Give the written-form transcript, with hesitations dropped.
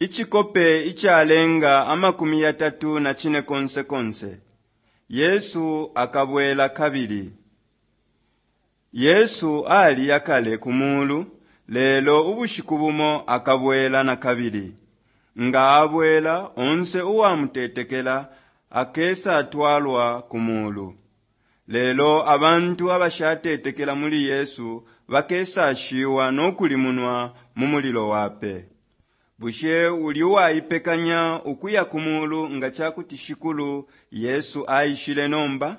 Icikope icalenga 35 Yesu akabwela kabili. Yesu aliya kale ku muulu, lelo ubushiku bumo akabwela na kabili. Nga abwela, onse uwamutetekela akesatwalwa ku muulu. Lelo abantu abashatetekela muli Yesu bakesashiwa no kulimunwa mu mulilo wa pe. Bushe uli uwaipekanya ukuya ku muulu nga ca kuti Shikulu Yesu aishile nomba?